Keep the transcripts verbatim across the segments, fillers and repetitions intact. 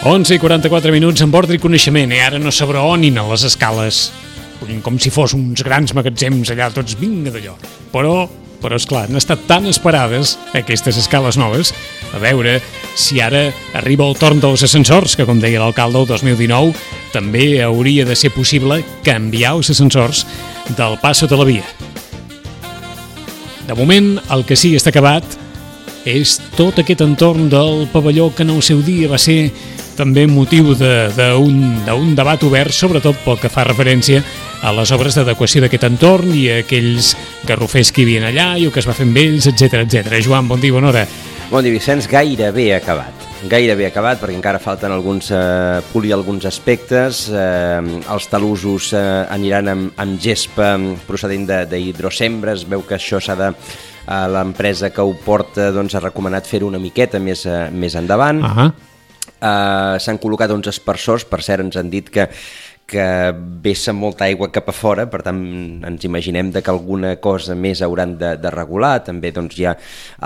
onze i quaranta-quatre minuts amb ordre i coneixement, i ara no s'abraonin a les escales, com si fos uns grans magatzems allà, tots vinga d'allò. Però, però esclar, han estat tan esperades aquestes escales noves, a veure si ara arriba el torn dels ascensors, que com deia l'alcalde el dos mil dinou, també hauria de ser possible canviar els ascensors del passo de la via. De moment, el que sí està acabat és tot aquest entorn del pavelló que en el seu dia va ser també motiu d'un debat obert, sobretot pel que fa referència a les obres d'adequació d'aquest entorn i a aquells garrofers que hi havia allà i el que es va fer amb ells, etcètera, etcètera. Joan, bon dia, bona hora. Bon dia, Vicenç. Gairebé acabat. Gairebé acabat, perquè encara falten alguns, eh, polir alguns aspectes. Eh, els talussos eh, aniran amb, amb gespa procedent d'hidrosembra. Es veu que això s'ha de... Eh, l'empresa que ho porta doncs, ha recomanat fer-ho una miqueta més, eh, més endavant. Uh-huh. eh, S'han col·locat uns aspersors, per cert, ens han dit que que vessa molta aigua cap a fora, per tant ens imaginem de que alguna cosa més hauran de, de regular. També doncs, hi ha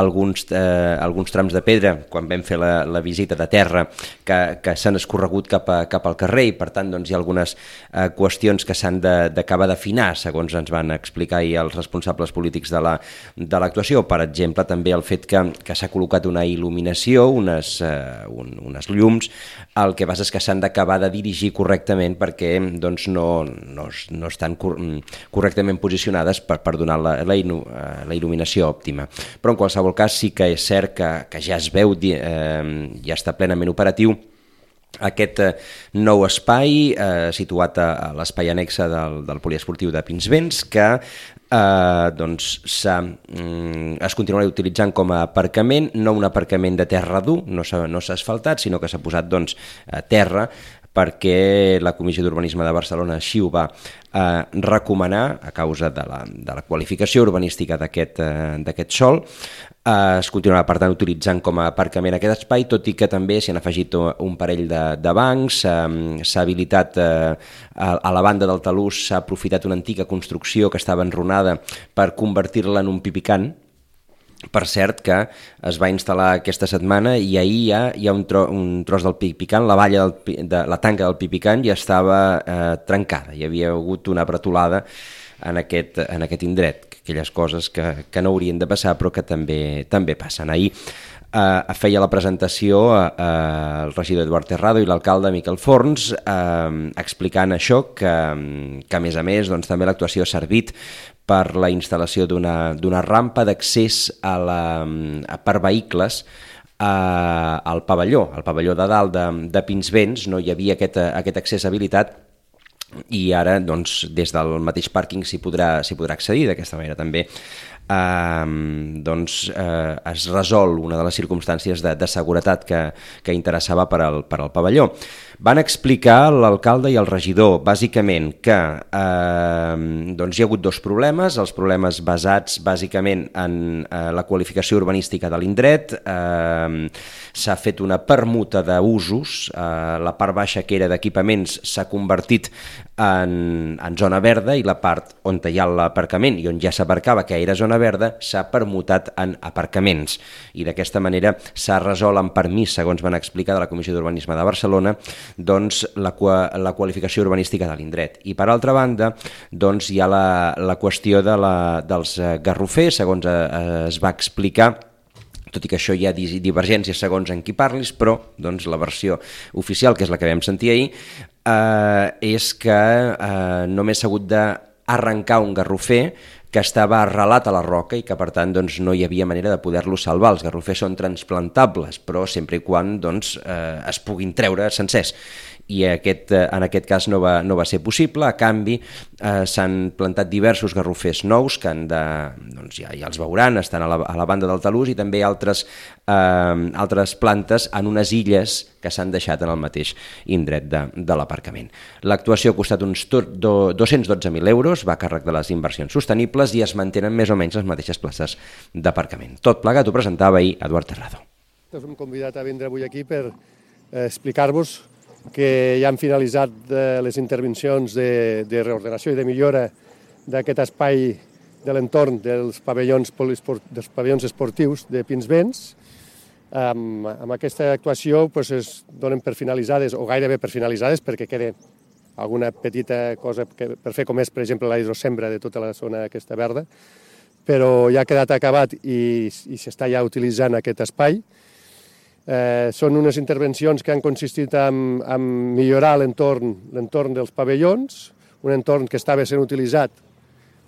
alguns, eh, alguns trams de pedra, quan vam fer la, la visita de terra, que, que s'han escorregut cap, a, cap al carrer, i per tant doncs, hi ha algunes eh, qüestions que s'han d'acabar d'afinar, segons ens van explicar i els responsables polítics de la, de l'actuació. Per exemple, també el fet que, que s'ha col·locat una il·luminació, unes, eh, un, unes llums, el que passa és que s'han d'acabar de dirigir correctament perquè doncs no, no, no estan cor correctament posicionades per, per donar la, la, la il·luminació òptima. Però en qualsevol cas sí que és cert que, que ja es veu, eh, ja està plenament operatiu aquest eh, nou espai eh, situat a, a l'espai annexe del, del poliesportiu de Pinsbens, que eh, doncs, mm, es continuarà utilitzant com a aparcament, no un aparcament de terra dur, no s'ha no asfaltat, sinó que s'ha posat doncs, a terra, perquè la Comissió d'Urbanisme de Barcelona així ho va eh, recomanar a causa de la, de la qualificació urbanística d'aquest eh, d'aquest sòl. Eh, es continuarà, per tant, utilitzant com a aparcament aquest espai, tot i que també s'hi han afegit un parell de, de bancs, eh, s'ha habilitat eh, a, a la banda del talús, s'ha aprofitat una antiga construcció que estava enrunada per convertir-la en un pipicant. Per cert, que es va instal·lar aquesta setmana i ahir hi ha, hi ha un, tro, un tros del pipicant, la valla del, de la tanca del pipicant ja estava eh, trencada, hi havia hagut una bretolada en aquest, en aquest indret, aquelles coses que, que no haurien de passar però que també, també passen. Ahir eh, feia la presentació eh, el regidor Eduard Terrado i l'alcalde Miquel Forns eh, explicant això, que, que a més a més doncs, també l'actuació ha servit per la instal·lació d'una rampa d'accés a la, a, per vehicles a, al pavelló, al pavelló de dalt de, de Pinsbens. No hi havia aquest, aquest accés habilitat i ara doncs, des del mateix pàrquing s'hi podrà, s'hi podrà accedir. D'aquesta manera també eh, doncs, eh, es resol una de les circumstàncies de, de seguretat que, que interessava per al, per al pavelló. Van explicar l'alcalde i el regidor, bàsicament, que eh, doncs hi ha hagut dos problemes, els problemes basats bàsicament en eh, la qualificació urbanística de l'indret. Eh, s'ha fet una permuta d'usos, eh, la part baixa que era d'equipaments s'ha convertit en, en zona verda i la part on hi ha l'aparcament i on ja s'aparcava, que era zona verda, s'ha permutat en aparcaments. I d'aquesta manera s'ha resolt en permís, segons van explicar de la Comissió d'Urbanisme de Barcelona, doncs, la, la qualificació urbanística de l'indret. I per altra banda doncs, hi ha la, la qüestió de la, dels garrofers, segons es va explicar, tot i que això hi ha divergències segons en qui parlis, però doncs, la versió oficial, que és la que vam sentir ahir, eh, és que eh, només s'ha hagut d'arrencar un garrofer que estava arrelat a la roca i que per tant doncs, no hi havia manera de poder-lo salvar. Els garrofers són transplantables, però sempre i quan doncs, eh, es puguin treure sencers. I aquest, en aquest cas no va, no va ser possible. A canvi eh, s'han plantat diversos garrofers nous que han de, doncs ja, ja els veuran, estan a la, a la banda del talús, i també altres, eh, altres plantes en unes illes que s'han deixat en el mateix indret de, de l'aparcament. L'actuació ha costat uns dos-cents dotze mil euros, va a càrrec de les inversions sostenibles i es mantenen més o menys les mateixes places d'aparcament. Tot plegat ho presentava ahir Eduard Terrado. Us hem convidat a vindre avui aquí per eh, explicar-vos que ja han finalitzat les intervencions de, de reordenació i de millora d'aquest espai de l'entorn dels pavellons, dels pavellons esportius de Pinsbens. Amb, amb aquesta actuació doncs, es donen per finalitzades, o gairebé per finalitzades, perquè queda alguna petita cosa que, per fer, com és, per exemple, la hidrosembra de tota la zona aquesta verda, però ja ha quedat acabat i, i s'està ja utilitzant aquest espai. Eh, són unes intervencions que han consistit en, en millorar l'entorn l'entorn dels pavellons, un entorn que estava sent utilitzat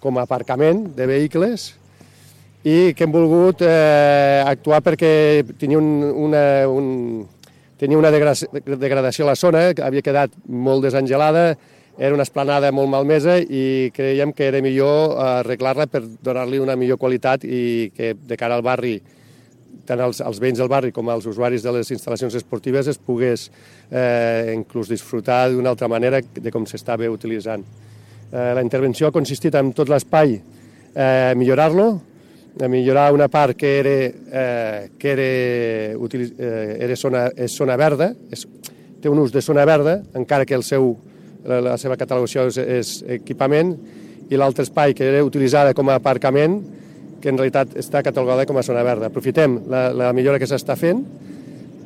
com a aparcament de vehicles, i que hem volgut eh, actuar perquè tenia, un, una, un, tenia una degradació a la zona, que havia quedat molt desangelada, era una esplanada molt malmesa i creiem que era millor arreglar-la per donar-li una millor qualitat i que de cara al barri, tant als, als veïns del barri com als usuaris de les instal·lacions esportives es pogués eh, inclús disfrutar d'una altra manera de com s'estava utilitzant. Eh, la intervenció ha consistit en tot l'espai eh, millorar-lo, a millorar una part que era, eh, que era, eh, era zona, és zona verda, és, té un ús de zona verda, encara que el seu, la, la seva catalogació és, és equipament, i l'altre espai que era utilitzada com a aparcament, que en realitat està catalogada com a zona verda. Aprofitem la, la millora que s'està fent,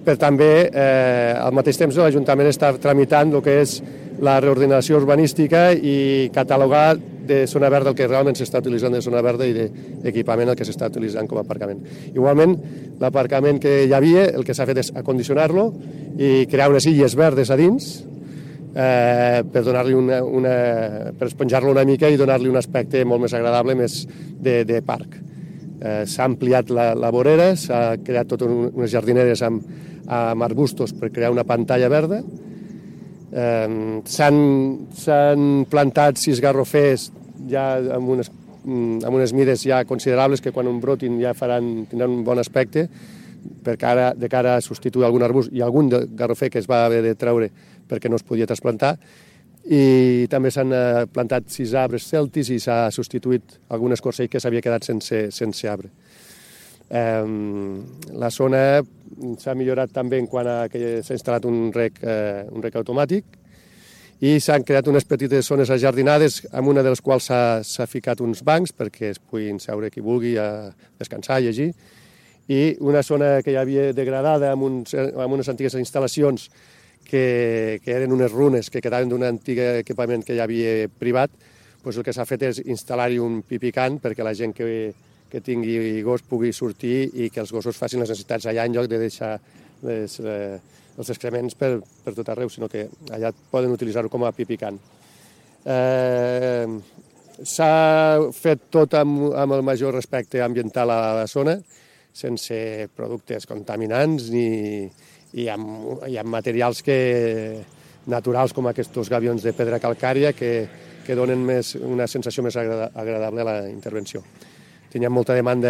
per també, eh, al mateix temps, l'Ajuntament està tramitant el que és la reordenació urbanística i catalogar de zona verda el que realment s'està utilitzant de zona verda i d'equipament el que s'està utilitzant com a aparcament. Igualment, l'aparcament que hi havia, el que s'ha fet és acondicionar-lo i crear unes illes verdes a dins eh, per donar-li una, una, per esponjar-lo una mica i donar-li un aspecte molt més agradable, més de, de parc. Eh, s'ha ampliat la, la vorera, s'ha creat totes unes jardineres amb, amb arbustos per crear una pantalla verda. Eh, s'han plantat sis garrofers ja amb unes, amb unes mides ja considerables que quan un brotin ja faran, tindran un bon aspecte per cara, de cara a substituir algun arbust i algun garrofer que es va haver de treure perquè no es podia trasplantar, i també s'han plantat sis arbres celtis i s'ha substituït algun escorcell que s'havia quedat sense, sense arbre. Eh, la zona s'ha millorat també en quant a que s'ha instal·lat un rec, eh, un rec automàtic i s'han creat unes petites zones ajardinades amb una de les quals s'ha ficat uns bancs perquè es puguin seure qui vulgui a descansar, a llegir, i una zona que hi havia degradada amb, uns, amb unes antigues instal·lacions que, que eren unes runes que quedaven d'un antic equipament que hi havia privat, doncs el que s'ha fet és instal·lar-hi un pipicant perquè la gent que que tingui gos pugui sortir i que els gossos facin les necessitats allà en lloc de deixar les, eh, els excrements per, per tot arreu, sinó que allà poden utilitzar-ho com a pipicant. Eh, S'ha fet tot amb, amb el major respecte ambiental a la zona, sense productes contaminants ni, i, amb, i amb materials que, naturals com aquests gavions de pedra calcària que, que donen més, una sensació més agradable a la intervenció. Teníem molta demanda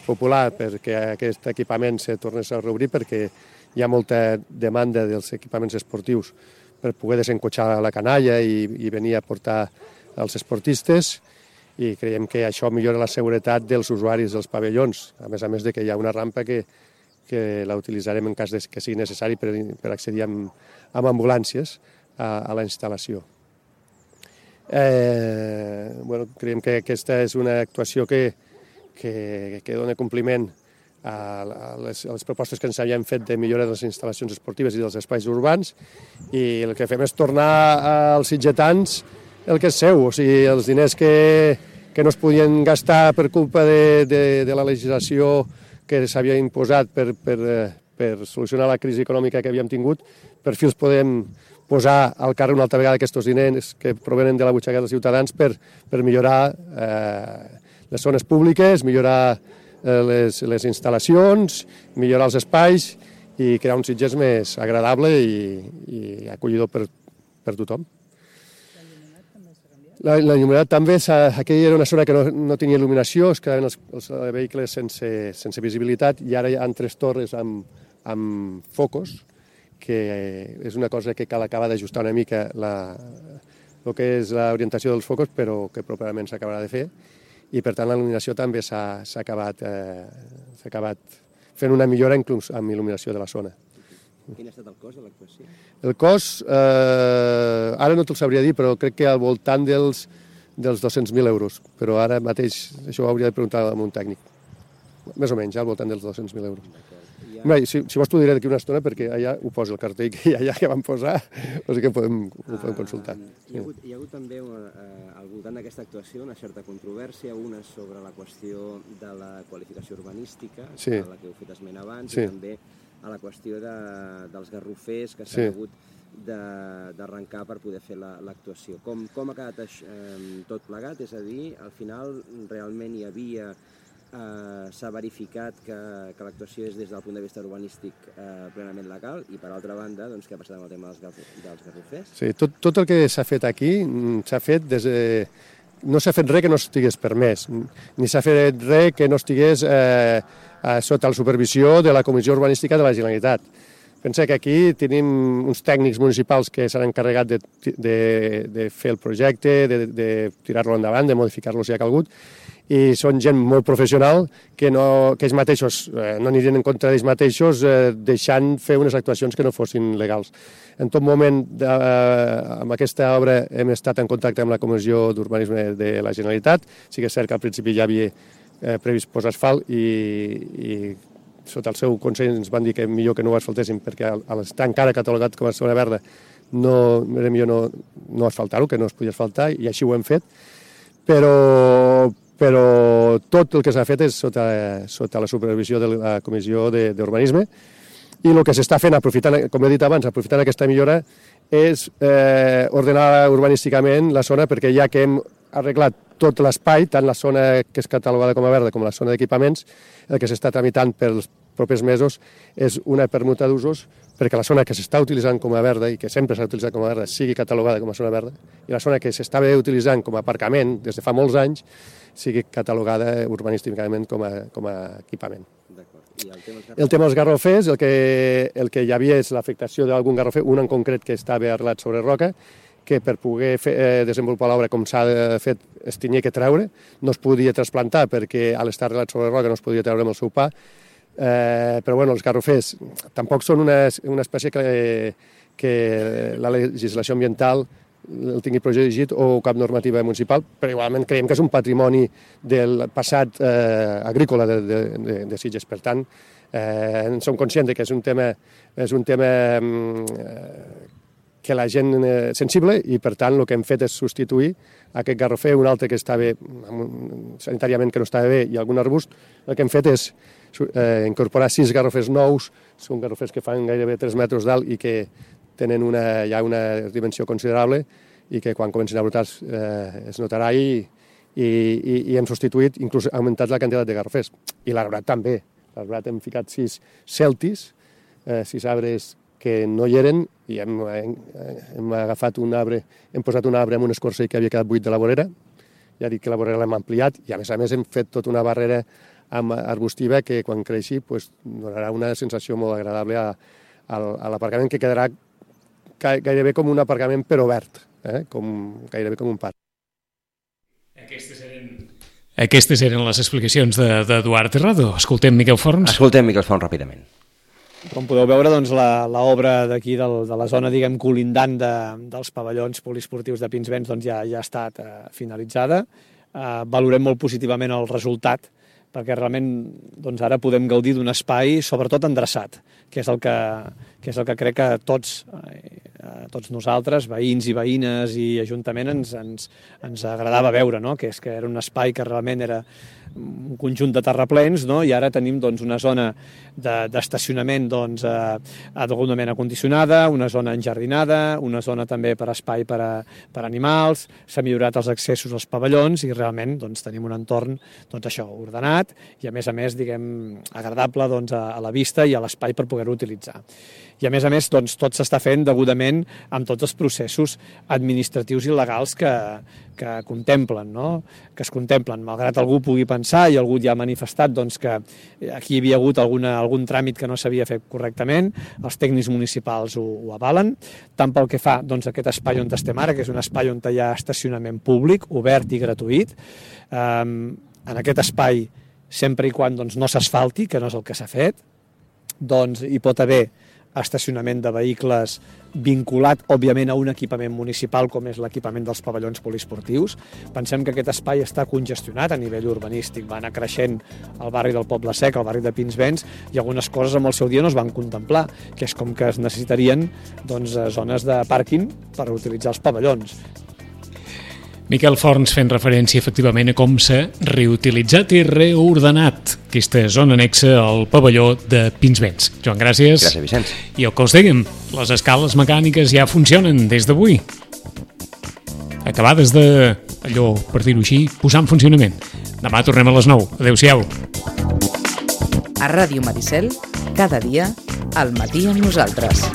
popular perquè aquest equipament se tornés a reobrir perquè hi ha molta demanda dels equipaments esportius per poder desencotxar la canalla i, i venir a portar els esportistes, i creiem que això millora la seguretat dels usuaris dels pavellons, a més a més de que hi ha una rampa que, que la utilitzarem en cas de que sigui necessari per, per accedir amb, amb ambulàncies a, a la instal·lació. Eh, bueno, creiem que aquesta és una actuació que Que, que dona compliment a les, a les propostes que ens havien fet de millora de les instal·lacions esportives i dels espais urbans, i el que fem és tornar als sitgetans el que és seu, o sigui, els diners que, que no es podien gastar per culpa de, de, de la legislació que s'havia imposat per, per, per solucionar la crisi econòmica que havíem tingut, per fi els podem posar al carrer una altra vegada aquests diners que provenen de la butxaca dels ciutadans per, per millorar eh, les zones públiques, millorar eh, les, les instal·lacions, millorar els espais i crear un Sitges més agradable i, i acollidor per, per tothom. L'il·luminat també, aquella era una zona que no, no tenia il·luminació, es quedaven els, els vehicles sense, sense visibilitat, i ara hi ha tres torres amb, amb focus, que és una cosa que cal acabar d'ajustar una mica la, el que és l'orientació dels focus, però que properament s'acabarà de fer. I, per tant, la il·luminació també s'ha acabat, eh, s'ha acabat fent una millora inclús amb il·luminació de la zona. Quin ha estat el cost de l'actuació? El cost, eh, ara no te'l sabria dir, però crec que al voltant dels, dels dos-cents mil euros. Però ara mateix això ho hauria de preguntar a un tècnic. Més o menys, al voltant dels dos-cents mil euros. Hi ha Bé, si, si vols t'ho diré d'aquí una estona, perquè allà ho posa el cartell que allà que vam posar, o sigui que podem, ho podem consultar. Hi ha hagut, hi ha hagut també eh, al voltant d'aquesta actuació una certa controvèrsia, una sobre la qüestió de la qualificació urbanística, sí. a la que heu fet esment abans, sí. i també a la qüestió de, dels garrofers que s'han sí. hagut d'arrencar per poder fer l'actuació. La, com, com ha quedat eh, tot plegat? És a dir, al final realment hi havia... Eh, s'ha verificat que, que l'actuació és des del punt de vista urbanístic eh, plenament legal i per altra banda, doncs, què ha passat amb el tema dels, garro, dels garrofers? Sí, tot, tot el que s'ha fet aquí s'ha fet des de... No s'ha fet res que no estigués permès, ni s'ha fet res que no estigués eh, sota la supervisió de la Comissió Urbanística de la Generalitat. Pensa que aquí tenim uns tècnics municipals que s'han encarregat de, de, de fer el projecte, de, de tirar-lo endavant, de modificar-lo si ha calgut, i són gent molt professional que, no, que ells mateixos eh, no anirien en contra d'ells mateixos eh, deixant fer unes actuacions que no fossin legals. En tot moment, de, eh, amb aquesta obra hem estat en contacte amb la Comissió d'Urbanisme de la Generalitat. Sí que és cert que al principi ja havia eh, previst posar asfalt i, i sota el seu consell ens van dir que millor que no ho asfaltéssim perquè al estar encara catalogat com a zona verda no, era millor no, no asfaltar-ho, que no es podia asfaltar, i així ho hem fet. Però però tot el que s'ha fet és sota, sota la supervisió de la Comissió d'Urbanisme i el que s'està fent, aprofitant, com he dit abans, aprofitant aquesta millora, és eh, ordenar urbanísticament la zona perquè ja que hem arreglat tot l'espai, tant la zona que és catalogada com a verda com la zona d'equipaments, el que s'està tramitant pels propers mesos és una permuta d'usos perquè la zona que s'està utilitzant com a verda i que sempre s'ha utilitzat com a verda sigui catalogada com a zona verda i la zona que s'estava utilitzant com a aparcament des de fa molts anys sigui catalogada urbanísticament com a, com a equipament. I el tema, el tema dels garrofers, el que, el que hi havia és l'afectació d'algun garrofer, un en concret que estava arrelat sobre roca, que per poder fer, eh, desenvolupar l'obra com s'ha fet es tenia que treure, no es podia trasplantar perquè a l'estar arrelat sobre roca no es podia treure amb el seu pa, eh, però bueno, els garrofers tampoc són una, una espècie que, que la legislació ambiental el tingui protegit o cap normativa municipal, però igualment creiem que és un patrimoni del passat eh, agrícola de, de, de, de Sitges. Per tant, eh, en som conscients que és un tema, és un tema eh, que la gent és sensible i, per tant, el que hem fet és substituir aquest garrofer, un altre que estava sanitàriament que no estava bé i algun arbust. El que hem fet és eh, incorporar sis garrofers nous, són garrofers que fan gairebé tres metres d'alt i que tenen una, ja una dimensió considerable i que quan comencin a brotar eh, es notarà i, i, i, i hem substituït, inclús augmentat la quantitat de garrofers. I l'arbrat també. L'arbrat hem ficat sis celtis, eh, sis arbres que no hi eren i hem, hem, hem agafat un arbre, hem posat un arbre amb un escorçell que havia quedat buit de la vorera, ja dic que la vorera l'hem ampliat i a més a més hem fet tota una barrera amb arbustiva que quan creixi pues, donarà una sensació molt agradable a, a, a l'aparcament que quedarà gairebé com un aparcament però verd, eh? com, gairebé com un parc. Aquestes eren, Aquestes eren les explicacions d'Eduard Terrado. Escoltem Miquel Forns. Escoltem Miquel Forns ràpidament. Com podeu veure, doncs, l'obra d'aquí de la zona, diguem, colindant de, dels pavellons poliesportius de Pinsbens doncs, ja, ja ha estat eh, finalitzada. Eh, valorem molt positivament el resultat, perquè realment doncs, ara podem gaudir d'un espai sobretot endreçat, que és el que, que, és el que crec que tots, eh, tots nosaltres, veïns i veïnes i ajuntament, ens, ens, ens agradava veure, no? Que és que era un espai que realment era un conjunt de terraplens, no? I ara tenim doncs, una zona d'estacionament de, doncs, eh, degudament acondicionada, una zona enjardinada, una zona també per espai per a, per a animals, s'ha millorat els accessos als pavellons i realment doncs, tenim un entorn doncs, això, ordenat i a més a més diguem, agradable doncs, a, a la vista i a l'espai per poder-ho utilitzar. I a més a més doncs, tot s'està fent degudament amb tots els processos administratius i legals que, que contemplen, no? que es contemplen, malgrat algú pugui pensar i algú ja ha manifestat doncs, que aquí hi havia hagut alguna, algun tràmit que no s'havia fet correctament, els tècnics municipals ho, ho avalen, tant pel que fa doncs, a aquest espai on estem ara, que és un espai on hi ha estacionament públic, obert i gratuït. Um, en aquest espai, sempre i quan doncs, no s'asfalti, que no és el que s'ha fet, doncs hi pot haver estacionament de vehicles vinculat, òbviament, a un equipament municipal com és l'equipament dels pavellons poliesportius. Pensem que aquest espai està congestionat a nivell urbanístic, va anar creixent el barri del Poble Sec, el barri de Pinsbens, i algunes coses amb el seu dia no es van contemplar, que és com que es necessitarien doncs, zones de pàrquing per utilitzar els pavellons. Miquel Forns fent referència efectivament a com s'ha reutilitzat i reordenat aquesta zona anexa al pavelló de Pinsbens. Joan, gràcies. Gràcies, Vicenç. I el que us dèiem, les escales mecàniques ja funcionen des d'avui. Acabades de, allò, per dir-ho així, posar en funcionament. Demà tornem a les nou. Adéu-siau. A Ràdio Maricel, cada dia, al matí amb nosaltres.